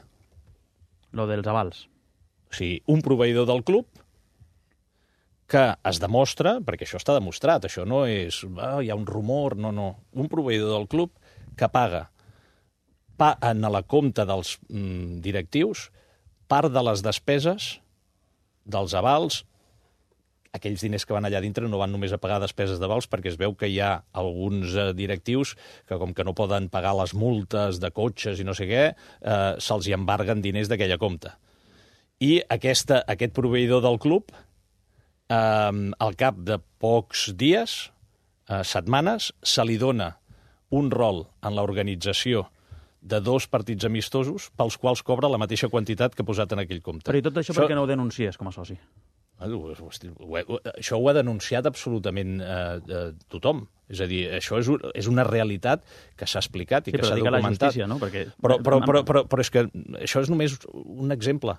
Speaker 1: Lo dels avals.
Speaker 2: o sigui, un proveïdor del club que es demostra, perquè això està demostrat, això no és, ah, hi ha un rumor, no, no, un proveïdor del club que paga pa, en la compta dels mm, directius part de les despeses dels avals. Aquells diners que van allà dintre no van només a pagar despeses d'avals, perquè es veu que hi ha alguns eh, directius que, com que no poden pagar les multes de cotxes i no sé què, eh, se'ls hi embarguen diners d'aquella compta. I aquesta, aquest proveïdor del club, eh, al cap de pocs dies, eh, setmanes, se li dona un rol en l'organització de dos partits amistosos pels quals cobra la mateixa quantitat que ha posat en aquell compte.
Speaker 1: Però i tot això, això... per què no ho denuncies com a soci?
Speaker 2: Això ho ha denunciat absolutament eh, eh, tothom. És a dir, això és, és una realitat que s'ha explicat i
Speaker 1: sí,
Speaker 2: que s'ha documentat.
Speaker 1: la justícia, no? Perquè...
Speaker 2: Però, però, però, però, però és que això és només un exemple.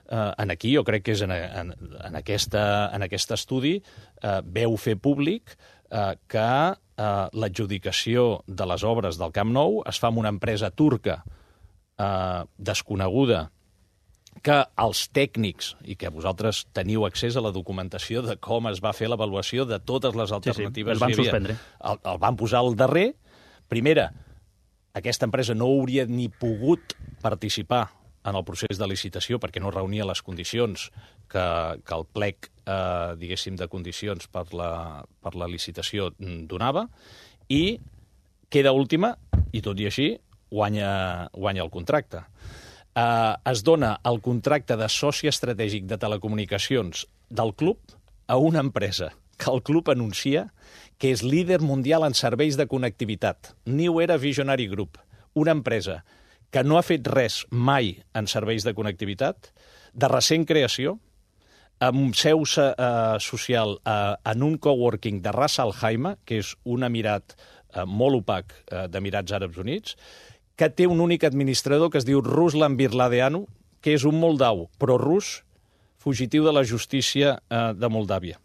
Speaker 2: Uh, en aquí jo crec que és en, en, en, aquesta, en aquest estudi uh, veu fer públic uh, que uh, l'adjudicació de les obres del Camp Nou es fa amb una empresa turca uh, desconeguda que els tècnics, i que vosaltres teniu accés a la documentació de com es va fer l'avaluació de totes les alternatives...
Speaker 1: Sí, sí, el van suspendre.
Speaker 2: El, el van posar al darrer. Primera, aquesta empresa no hauria ni pogut participar en el procés de licitació perquè no reunia les condicions que, que el plec, eh, diguéssim, de condicions per la, per la licitació donava, i queda última, i tot i així, guanya, guanya el contracte. Eh, es dona el contracte de soci estratègic de telecomunicacions del club a una empresa que el club anuncia que és líder mundial en serveis de connectivitat. New Era Visionary Group, una empresa que no ha fet res mai en serveis de connectivitat, de recent creació, amb seu eh, social eh, en un coworking de Ras Al Khaimah, que és un emirat eh, molt opac eh, d'Emirats Àrabs Units, que té un únic administrador que es diu Ruslan Birladeanu, que és un moldau prorus, fugitiu de la justícia eh, de Moldàvia.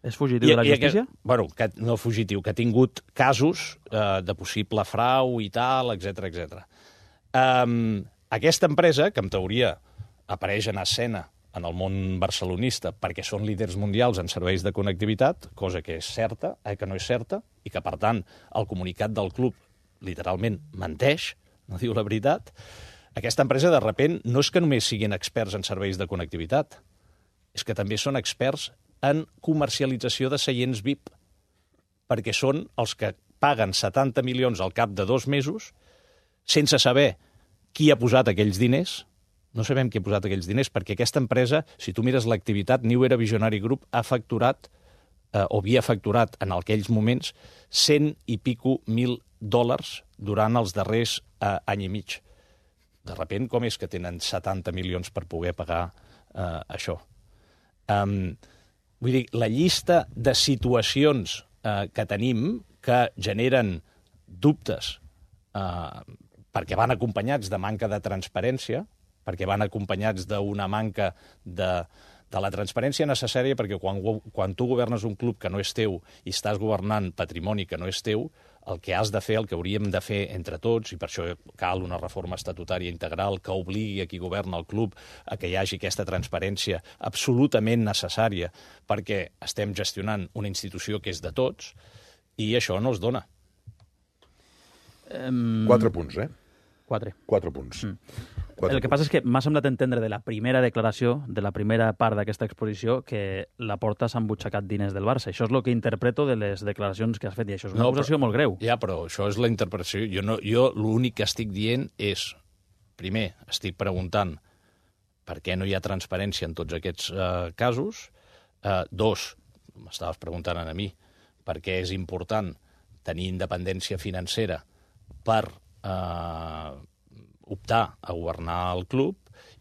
Speaker 1: És fugitiu I, de la justícia?
Speaker 2: Que, bueno, que, no fugitiu, que ha tingut casos eh, de possible frau i tal, etcètera, etcètera. Um, aquesta empresa, que en teoria apareix en escena en el món barcelonista perquè són líders mundials en serveis de connectivitat, cosa que és certa, eh, que no és certa, i que, per tant, el comunicat del club literalment menteix, no diu la veritat, aquesta empresa, de repent, no és que només siguin experts en serveis de connectivitat, és que també són experts en comercialització de seients V I P, perquè són els que paguen setanta milions al cap de dos mesos sense saber qui ha posat aquells diners. No sabem qui ha posat aquells diners, perquè aquesta empresa, si tu mires l'activitat, New Era Visionary Group ha facturat, eh, o havia facturat en aquells moments, cent i pico mil dòlars durant els darrers eh, any i mig. De repent, com és que tenen setanta milions per poder pagar eh, això? Um, vull dir, la llista de situacions eh, que tenim que generen dubtes eh, perquè van acompanyats de manca de transparència, perquè van acompanyats d'una manca de, de la transparència necessària, perquè quan, quan tu governes un club que no és teu i estàs governant patrimoni que no és teu, el que has de fer, el que hauríem de fer entre tots, i per això cal una reforma estatutària integral que obligui a qui governa el club a que hi hagi aquesta transparència absolutament necessària, perquè estem gestionant una institució que és de tots, i això no es dona.
Speaker 6: Um... Quatre punts, eh?
Speaker 1: Quatre.
Speaker 6: Quatre punts. Mm.
Speaker 1: Quatre el que punts. Passa és que m'ha semblat entendre de la primera declaració, de la primera part d'aquesta exposició, que la Porta s'ha embutxacat diners del Barça. Això és el que interpreto de les declaracions que has fet, i això és una no, acusació
Speaker 2: però,
Speaker 1: molt greu.
Speaker 2: Ja, però això és la interpretació. Jo, no, jo l'únic que estic dient és, primer, estic preguntant per què no hi ha transparència en tots aquests uh, casos. Uh, dos, m'estaves preguntant a mi, per què és important tenir independència financera per eh, optar a governar el club,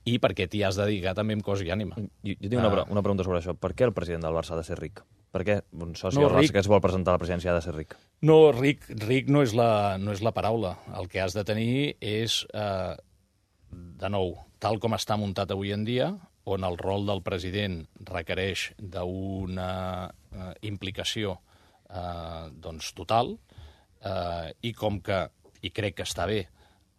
Speaker 2: i perquè t'hi has de dedicar també amb cos i ànima.
Speaker 5: Jo, jo tinc una, uh, una pregunta sobre això. Per què el president del Barça ha de ser ric? Per què un soci no, del Barça que es vol presentar a la presidència ha de ser ric?
Speaker 2: No, ric, ric no, és la, no és la paraula. El que has de tenir és, eh, de nou, tal com està muntat avui en dia, on el rol del president requereix d'una eh, implicació eh, doncs, total, eh, i com que, i crec que està bé,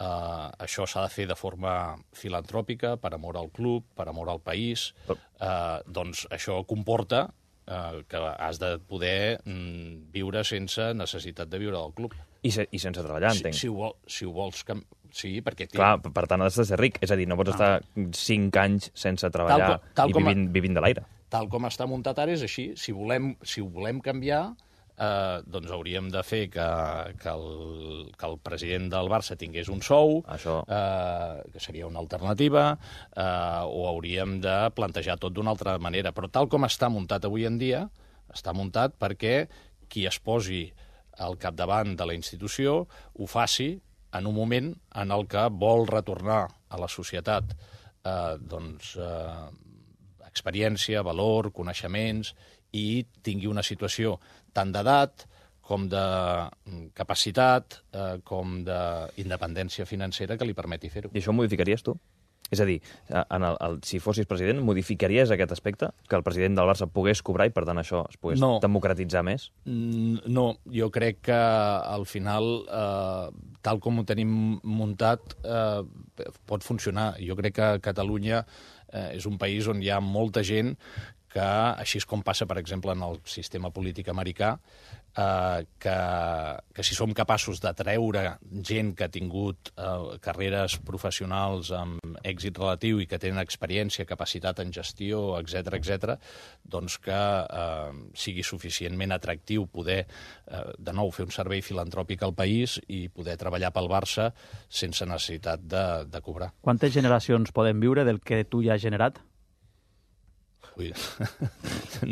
Speaker 2: Uh, això s'ha de fer de forma filantròpica, per amor al club, per amor al país. Uh, doncs això comporta uh, que has de poder mm, viure sense necessitat de viure del club.
Speaker 5: I, se, i sense treballar, entenc.
Speaker 2: Si, si, ho, vol, si ho vols... Que... Sí, perquè...
Speaker 5: Clar, per tant has de ser ric. És a dir, no pots ah. estar cinc anys sense treballar tal com, tal i vivint, a... vivint de l'aire.
Speaker 2: Tal com està muntat ara és així. Si volem, si ho volem canviar... Uh, doncs hauríem de fer que, que, el, que el president del Barça tingués un sou,
Speaker 5: Això...
Speaker 2: uh, que seria una alternativa, uh, o hauríem de plantejar tot d'una altra manera. Però tal com està muntat avui en dia, està muntat perquè qui es posi al capdavant de la institució ho faci en un moment en el que vol retornar a la societat uh, doncs, uh, experiència, valor, coneixements, i tingui una situació tant d'edat com de capacitat, eh, com d'independència financera que li permeti fer-ho.
Speaker 5: I això ho modificaries tu? És a dir, en el, el, si fossis president, modificaries aquest aspecte? Que el president del Barça pogués cobrar i, per tant, això es pogués no. democratitzar més?
Speaker 2: No, jo crec que al final, eh, tal com ho tenim muntat, eh, pot funcionar. Jo crec que Catalunya eh, és un país on hi ha molta gent que, així com passa, per exemple, en el sistema polític americà, eh, que, que si som capaços d'atreure gent que ha tingut eh, carreres professionals amb èxit relatiu i que tenen experiència, capacitat en gestió, etcètera, etcètera, doncs que eh, sigui suficientment atractiu poder, eh, de nou, fer un servei filantròpic al país i poder treballar pel Barça sense necessitat de, de cobrar.
Speaker 1: Quantes generacions podem viure del que tu ja has generat?
Speaker 2: Ui,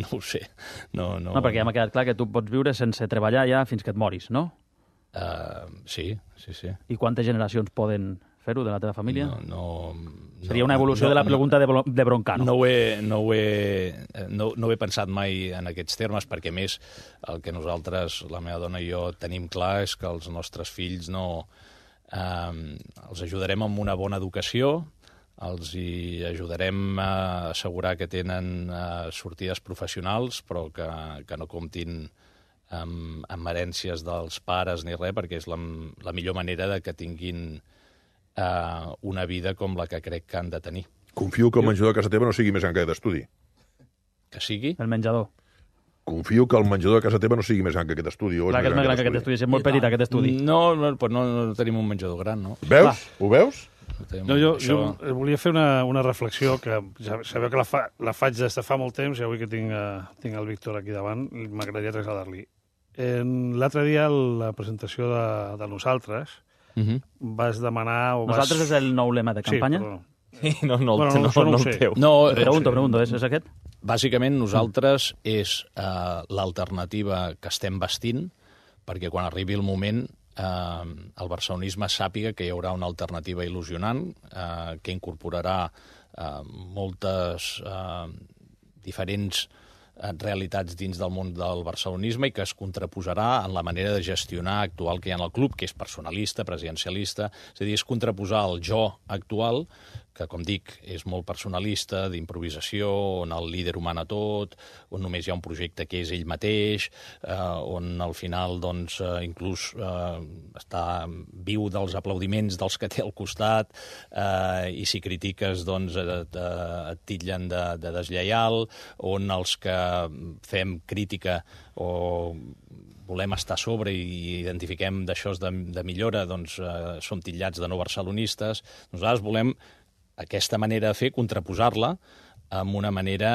Speaker 2: no ho sé. No, no...
Speaker 1: no, perquè ja m'ha quedat clar que tu pots viure sense treballar ja fins que et moris, no?
Speaker 2: Uh, sí, sí, sí.
Speaker 1: I quantes generacions poden fer-ho de la teva família?
Speaker 2: No, no,
Speaker 1: Seria una evolució
Speaker 2: no,
Speaker 1: de la pregunta
Speaker 2: no,
Speaker 1: de Broncano.
Speaker 2: No ho, he, no, ho he, no, no ho he pensat mai en aquests termes, perquè, a més, el que nosaltres, la meva dona i jo, tenim clar és que els nostres fills no... Eh, els ajudarem amb una bona educació, els hi ajudarem a assegurar que tenen uh, sortides professionals, però que, que no comptin amb, amb herències dels pares ni res, perquè és la, la millor manera de que tinguin uh, una vida com la que crec que han de tenir.
Speaker 6: Confio que el menjador de casa teva no sigui més gran que aquest estudi.
Speaker 2: Que sigui?
Speaker 1: El menjador.
Speaker 6: Confio que el menjador de casa teva no sigui més gran que aquest estudi.
Speaker 1: Clar que és més gran que aquest estudi, és molt petit aquest estudi.
Speaker 2: No, no, no, no tenim un menjador gran, no?
Speaker 6: Veus? Va. Ho veus?
Speaker 7: No, jo, jo volia fer una, una reflexió que ja sabeu que la, fa, la faig des de fa molt temps i avui que tinc, uh, tinc el Víctor aquí davant m'agradaria traslladar-li. L'altre dia, a la presentació de, de Nosaltres, uh -huh. vas demanar... O vas...
Speaker 1: Nosaltres és el nou lema de campanya?
Speaker 5: Sí, no, no,
Speaker 7: bueno, no,
Speaker 5: no, no, no el teu.
Speaker 2: No,
Speaker 1: pregunto, pregunto, és, és aquest?
Speaker 2: Bàsicament, nosaltres és uh, l'alternativa que estem vestint, perquè quan arribi el moment eh, el barcelonisme sàpiga que hi haurà una alternativa il·lusionant, eh, que incorporarà eh, moltes eh, diferents realitats dins del món del barcelonisme i que es contraposarà en la manera de gestionar actual que hi ha en el club, que és personalista, presidencialista, és a dir, és contraposar el jo actual, que, com dic, és molt personalista, d'improvisació, on el líder ho mana tot, on només hi ha un projecte que és ell mateix, eh, on al final, doncs, eh, inclús eh, està viu dels aplaudiments dels que té al costat, eh, i si critiques, doncs, et, et titllen de, de deslleial, on els que fem crítica o volem estar a sobre i identifiquem d'això de, de millora, doncs eh, som titllats de no barcelonistes. Nosaltres volem aquesta manera de fer, contraposar-la amb una manera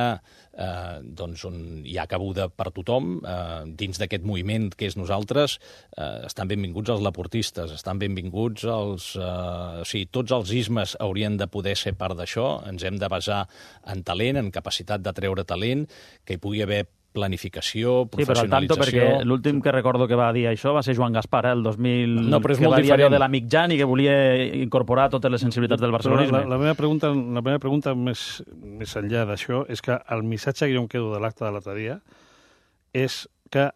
Speaker 2: eh, doncs on hi ha cabuda per tothom, eh, dins d'aquest moviment que és nosaltres, eh, estan benvinguts els laportistes, estan benvinguts els... Eh, o sigui, tots els ismes haurien de poder ser part d'això, ens hem de basar en talent, en capacitat de treure talent, que hi pugui haver planificació, professionalització... Sí, però al tanto,
Speaker 1: perquè l'últim que recordo que va dir això va ser Joan Gaspar, eh, el dos mil...
Speaker 2: No, però és
Speaker 1: que
Speaker 2: molt
Speaker 1: va dir
Speaker 2: diferent.
Speaker 1: allò de l'amic Jan i que volia incorporar totes les sensibilitats del barcelonisme.
Speaker 7: La, la meva pregunta, la meva pregunta més, més enllà d'això és que el missatge que jo em quedo de l'acte de l'altre dia és que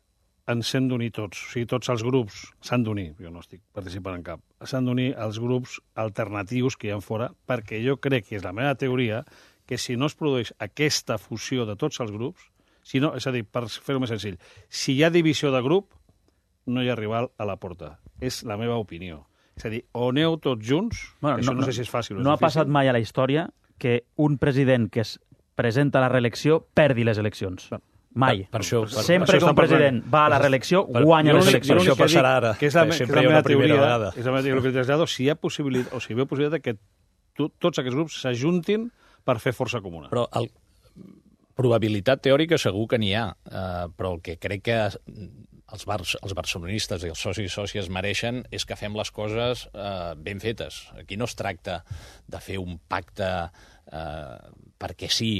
Speaker 7: ens hem d'unir tots. O sigui, tots els grups s'han d'unir. Jo no estic participant en cap. S'han d'unir els grups alternatius que hi ha fora, perquè jo crec que és la meva teoria que si no es produeix aquesta fusió de tots els grups, si no, és a dir, per fer-ho més senzill, si hi ha divisió de grup, no hi ha rival a la porta. És la meva opinió. És a dir, o aneu tots junts,
Speaker 1: bueno,
Speaker 7: això
Speaker 1: no,
Speaker 7: no, no sé si és fàcil o és
Speaker 1: no
Speaker 7: difícil.
Speaker 1: ha passat mai a la història que un president que es presenta a la reelecció perdi les eleccions.
Speaker 7: No.
Speaker 1: Mai.
Speaker 2: Per, per això, per,
Speaker 1: Sempre
Speaker 7: per
Speaker 1: que un president va a la reelecció, guanya les eleccions.
Speaker 2: Per això passarà ara.
Speaker 7: Que és la, que és la meva teoria,
Speaker 2: vegada.
Speaker 7: és la meva teoria que trasllado, si hi ha possibilitat, o si hi ha possibilitat que to, tots aquests grups s'ajuntin per fer força comuna.
Speaker 2: Però el, probabilitat teòrica segur que n'hi ha, eh, però el que crec que els, bar, els barcelonistes i els socis i sòcies mereixen és que fem les coses eh, ben fetes. Aquí no es tracta de fer un pacte eh, perquè sí,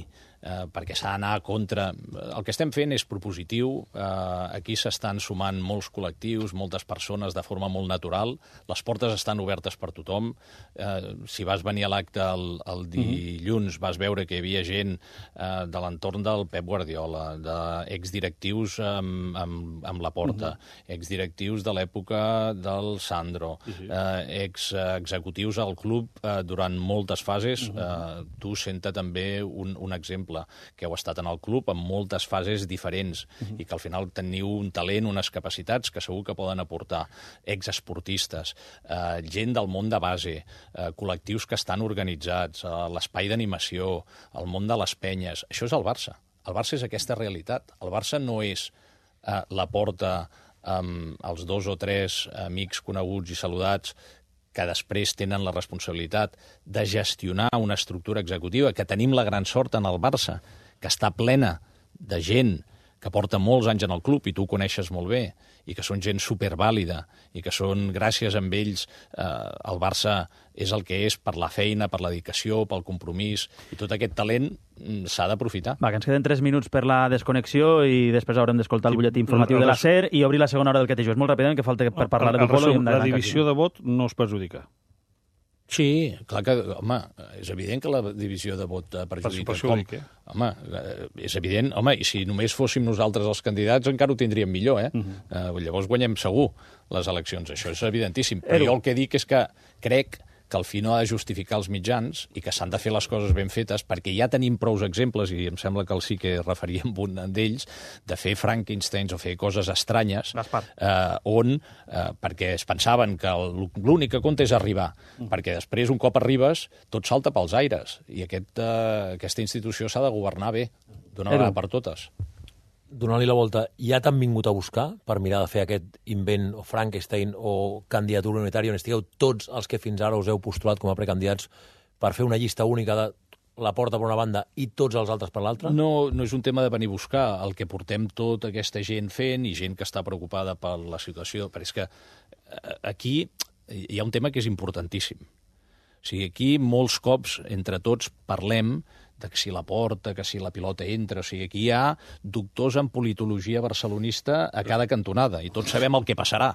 Speaker 2: eh, perquè s'ha d'anar contra... El que estem fent és propositiu, eh, aquí s'estan sumant molts col·lectius, moltes persones de forma molt natural, les portes estan obertes per tothom, eh, si vas venir a l'acte el, el dilluns vas veure que hi havia gent eh, de l'entorn del Pep Guardiola, d'exdirectius amb, amb, amb la Porta, uh-huh. exdirectius de l'època del Sandro, uh-huh. eh, ex-executius al club eh, durant moltes fases. Uh-huh. eh, tu senta també un, un exemple, que heu estat en el club en moltes fases diferents uh-huh. i que al final teniu un talent, unes capacitats que segur que poden aportar. Exesportistes, eh, gent del món de base, eh, col·lectius que estan organitzats, eh, l'espai d'animació, el món de les penyes. Això és el Barça. El Barça és aquesta realitat. El Barça no és eh, la Porta amb els dos o tres amics coneguts i saludats que després tenen la responsabilitat de gestionar una estructura executiva, que tenim la gran sort en el Barça, que està plena de gent que porta molts anys en el club, i tu ho coneixes molt bé, i que són gent supervàlida, i que són, gràcies a ells, eh, el Barça és el que és per la feina, per la dedicació, pel compromís, i tot aquest talent s'ha d'aprofitar.
Speaker 1: Va, que ens queden tres minuts per la desconnexió i després haurem d'escoltar el butlletí informatiu de la SER i obrir la segona hora del que té jo. És molt ràpidament, que falta per parlar de futbol.
Speaker 7: La divisió de vot no es perjudica.
Speaker 2: Sí, clar que, home, és evident que la divisió de vot perjudica.
Speaker 7: Perjudica.
Speaker 2: Home, és evident, home, i si només fóssim nosaltres els candidats encara ho tindríem millor, eh? Uh-huh. Uh, llavors guanyem segur les eleccions, això és evidentíssim. Però jo el que dic és que crec que el fi no ha de justificar els mitjans i que s'han de fer les coses ben fetes, perquè ja tenim prous exemples, i em sembla que el sí que referíem un d'ells, de fer Frankensteins o fer coses estranyes, eh, on, eh, perquè es pensaven que l'únic que compta és arribar, mm. perquè després, un cop arribes, tot salta pels aires, i aquest, eh, aquesta institució s'ha de governar bé, d'una vegada per totes.
Speaker 8: Donant-li la volta, ja t'han vingut a buscar per mirar de fer aquest invent o Frankenstein o candidatura unitària on estigueu tots els que fins ara us heu postulat com a precandidats per fer una llista única de la Porta per una banda i tots els altres per l'altra?
Speaker 2: No, no és un tema de venir a buscar. El que portem tota aquesta gent fent i gent que està preocupada per la situació, però és que aquí hi ha un tema que és importantíssim. O sigui, aquí molts cops entre tots parlem de que si la Porta, que si la pilota entra... O sigui, aquí hi ha doctors en politologia barcelonista a cada cantonada, i tots sabem el que passarà.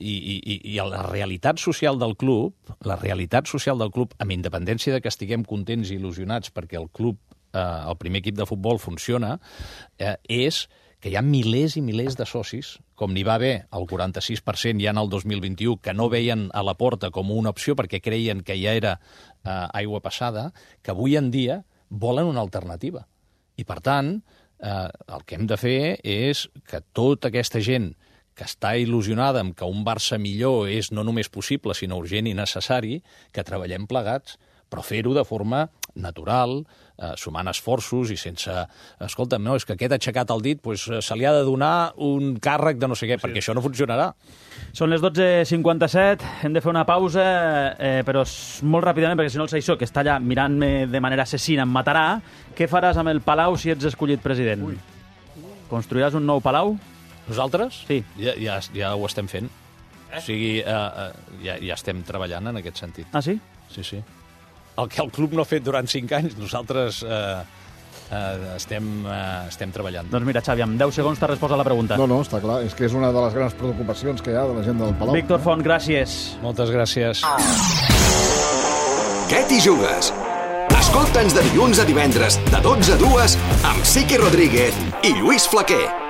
Speaker 2: I, i, i la realitat social del club, la realitat social del club, amb independència de que estiguem contents i il·lusionats perquè el club, eh, el primer equip de futbol, funciona, eh, és que hi ha milers i milers de socis, com n'hi va haver el quaranta-sis per cent ja en el dos mil vint-i-u, que no veien a la Porta com una opció perquè creien que ja era eh, aigua passada, que avui en dia volen una alternativa. I, per tant, eh, el que hem de fer és que tota aquesta gent que està il·lusionada amb que un Barça millor és no només possible, sinó urgent i necessari, que treballem plegats, però fer-ho de forma natural, eh, sumant esforços i sense... Escolta'm, no, és que aquest aixecat el dit, pues, se li ha de donar un càrrec de no sé què, sí. perquè això no funcionarà.
Speaker 1: Són les dotze cinquanta-set, hem de fer una pausa, eh, però molt ràpidament, perquè si no el Saissó, que està allà mirant-me de manera assassina, em matarà. Què faràs amb el Palau si ets escollit president? Ui. Construiràs un nou Palau?
Speaker 2: Nosaltres?
Speaker 1: Sí.
Speaker 2: Ja, ja, ja ho estem fent. Eh? O sigui, eh, eh, ja, ja estem treballant en aquest sentit.
Speaker 1: Ah, sí?
Speaker 2: Sí, sí. El que el club no ha fet durant cinc anys, nosaltres eh, eh, estem, eh, estem treballant.
Speaker 1: Doncs mira, Xavi, amb deu segons t'ha respost a la pregunta.
Speaker 9: No, no, està clar. És que és una de les grans preocupacions que hi ha de la gent del Palau.
Speaker 1: Víctor Font, gràcies.
Speaker 2: Moltes gràcies.
Speaker 10: Què t'hi jugues? Escolta'ns de dilluns a divendres, de dotze a dues, amb Sique Rodríguez i Lluís Flaquer.